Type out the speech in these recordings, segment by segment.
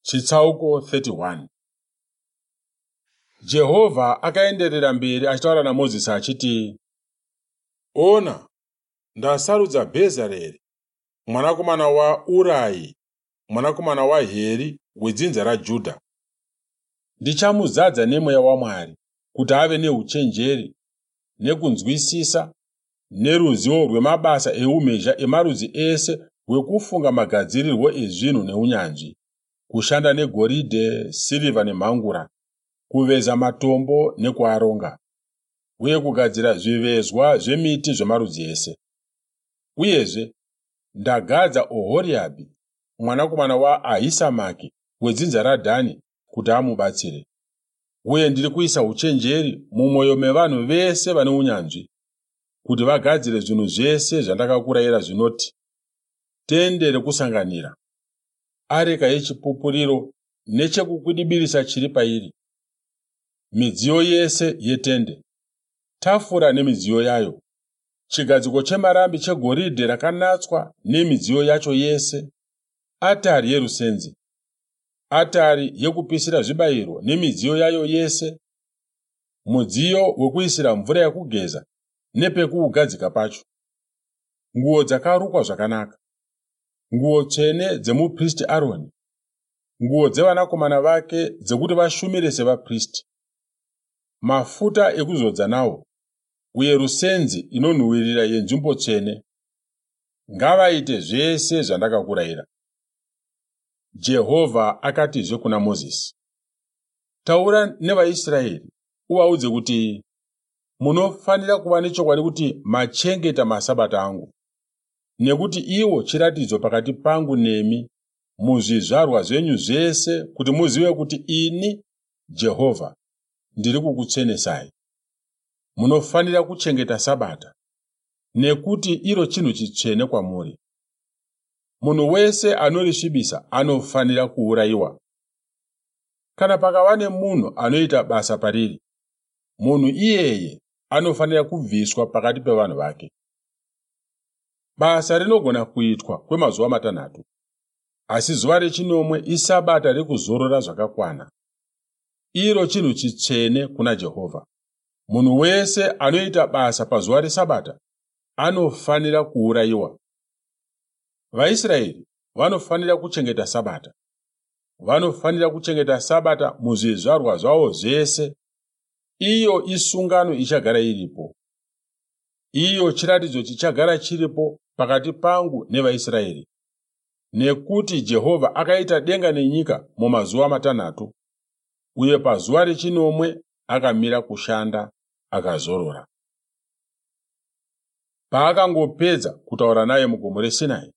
Chitsauko 31. Jehovha akaenderera mberi achitaura naMozisi achiti, Ona, ndasarudza Bhezareri mwanakomana waUrai mwanakomana waHeri wedzinza raJudha. Ndichamuzadza nemweya waMwari kuti ave neuchenjeri nekunzwisisa neruzivo rwemabasa eumhizha emarudzi ese hwekufunga magadzirirwo ezvinhu neunyanzvi, kushanda negoridhe, sirivha nemhangura, kuveza matombo nekuaronga, uye kugadzira zvivezwa zvemiti zvemarudzi ese. Uyezve, ndagadza Ohoriabhi mwanakomana waAhisamaki wedzinza raDhani kuti amubatsire. Uye ndiri kuisa uchenjeri mumwoyo mevanhu vese vane unyanzvi, kuti vagadzire zvinhu zvese zvandakakurayira zvinoti, tende rekusanganira, areka yechipupuriro nechekukwidibirisa chiri pairi, midziyo yese yetende, tafura nemidziyo yayo, chigadziko chemarambi chegoridhe rakanatswa nemidziyo yacho yese, atari yerusenzi, atari yekupisira zvibayiro nemidziyo yayo yese, mudziyo wekuisira mvura yekugeza nepekuugadzika pacho, nguo dzakarukwa zvakanaka, nguo tsvene dzemupristi Aroni, nguo dzevanakomana vake dzekuti vashumire sevapristi, mafuta ekuzodza nawo, uye rusenzi inonhuhwirira yenzvimbo tsvene. Ngavaite zvese zvandakakurayira. Jehovha akatizve kuna Mozisi, Taura nevaIsraeri uvaudze kuti, Munofanira kuva nechokwadi kuti machengeta masabata angu, nekuti iwo chiratidzo pakati pangu nemi muzvizvarwa zvenyu zvese kuti muzive kuti ini, Jehovha, ndiri kukutsvenesai. Munofanira kuchengeta sabata, nekuti iro chinhu chitsvene kwamuri. Munhu wese anorisvibisa anofanira kuurayiwa. Kana pakava nemunhu anoita basa pariri, munhu iyeye anofanira kubviswa pakati pevanhu vake. Basa rinogona kuitwa kwemazuva matanhatu, asi zuva rechinomwe isabata rekuzorora zvakakwana. Iro chinhu chitsvene kuna Jehovha. Munhu wese anoita basa pazuva resabata anofanira kuurayiwa. VaIsraeri vanofanira kuchengeta sabata. Vanofanira kuchengeta sabata muzvizvarwa zvavo zvese. Iyo isungano ichagara iripo. Iyo chiratidzo chichagara chiripo pakati pangu nevaIsraeri. Nekuti Jehovha akaita denga nenyika mumazuva matanhatu, uye pazuva rechinomwe akamira kushanda akazorora. Paakangopedza kutaura naye mugomo reSinai,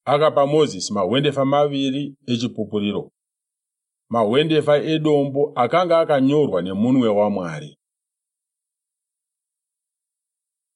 akapa Mozisi mahwendefa maviri echipupuriro, mahwendefa edombo akanga akanyorwa nemunwe waMwari.